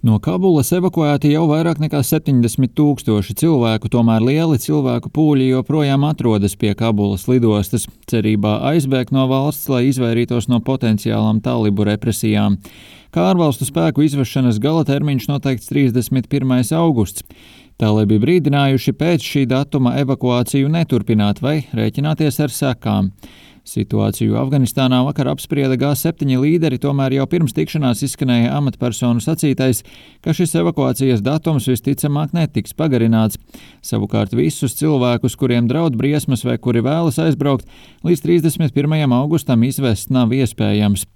No Kabulas evakuēti jau vairāk nekā 70 000 cilvēku, tomēr lieli cilvēku pūļi joprojām atrodas pie Kabulas lidostas, cerībā aizbēgt no valsts, lai izvairītos no potenciālām talibu represijām. Kā ārvalstu spēku izvešanas gala termiņš noteikts 31. augusts. Talibi brīdinājuši pēc šī datuma evakuāciju neturpināt vai rēķināties ar sekām. Situāciju Afganistānā vakar apsprieda G7 līderi, tomēr jau pirms tikšanās izskanēja amatpersonu sacītais, ka šis evakuācijas datums visticamāk netiks pagarināts. Savukārt visus cilvēkus, kuriem draud briesmas vai kuri vēlas aizbraukt, līdz 31. augustam izvest nav iespējams.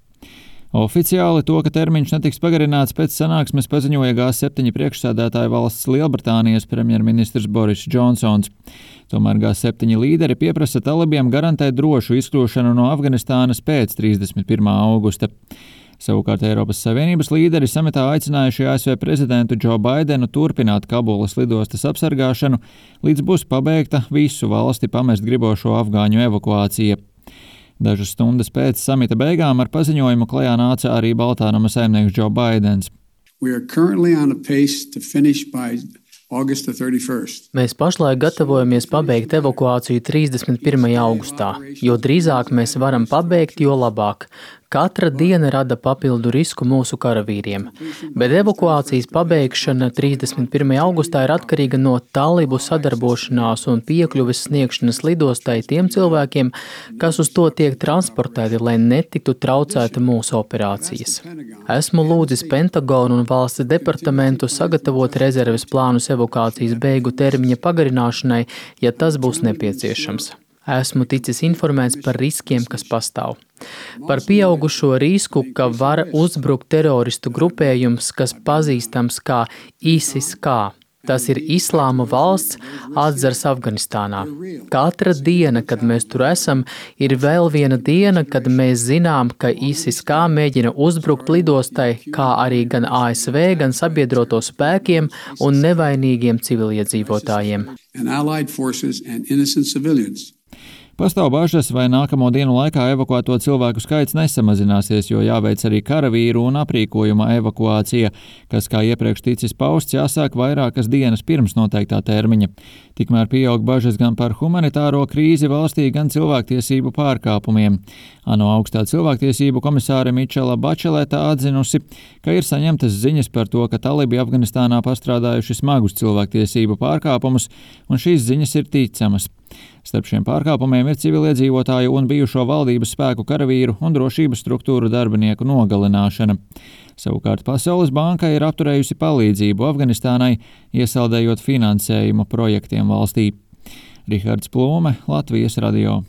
Oficiāli to, ka termiņš netiks pagarināts pēc sanāksmes, paziņoja G7 priekšsēdētāja valsts Lielbritānijas premjerministrs Boris Džonsons. Tomēr G7 līderi pieprasa talibiem garantēt drošu izkļūšanu no Afganistānas pēc 31. augusta. Savukārt Eiropas Savienības līderi samitā aicinājuši ASV prezidentu Džo Baidenu turpināt Kabulas lidostas apsargāšanu, līdz būs pabeigta visu valsti pamest gribošo afgāņu evakuācija. Dažas stundas pēc samita beigām ar paziņojumu klajā nāca arī Baltānama saimnieks Džo Baidens. Mēs pašlaik gatavojamies pabeigt evakuāciju 31. augustā. Jo drīzāk mēs varam pabeigt, jo labāk. Katra diena rada papildu risku mūsu karavīriem, bet evakuācijas pabeigšana 31. augustā ir atkarīga no talibu sadarbošanās un piekļuves sniegšanas lidostai tiem cilvēkiem, kas uz to tiek transportēti, lai netiktu traucēta mūsu operācijas. Esmu lūdzis Pentagonu un valsts departamentu sagatavot rezerves plānus evakuācijas beigu termiņa pagarināšanai, ja tas būs nepieciešams. Esmu ticis informēts par riskiem, kas pastāv. Par pieaugušo risku, ka var uzbrukt teroristu grupējums, kas pazīstams kā ISIS-K. Tas ir Islāma valsts atzars Afganistānā. Katra diena, kad mēs tur esam, ir vēl viena diena, kad mēs zinām, ka ISIS-K mēģina uzbrukt lidostai, kā arī gan ASV, gan sabiedroto spēkiem un nevainīgiem civiliedzīvotājiem. Pastāv bažas, vai nākamo dienu laikā evakuēto cilvēku skaits nesamazināsies, jo jāveic arī karavīru un aprīkojuma evakuācija, kas, kā iepriekš ticis pausts, jāsāk vairākas dienas pirms noteiktā termiņa. Tikmēr pieaug bažas gan par humanitāro krīzi valstī, gan cilvēktiesību pārkāpumiem. ANO augstā cilvēktiesību komisāre Mičela Bačeleta atzinusi, ka ir saņemtas ziņas par to, ka talibi Afganistānā pastrādājuši smagus cilvēktiesību pārkāpumus, un šīs ziņas ir ticamas. Starp šiem pārkāpumiem ir civiliedzīvotāju un bijušo valdības spēku karavīru un drošības struktūru darbinieku nogalināšana. Savukārt Pasaules banka ir apturējusi palīdzību Afganistānai, iesaldējot finansējumu projektiem valstī. Rihards Plūme, Latvijas radio.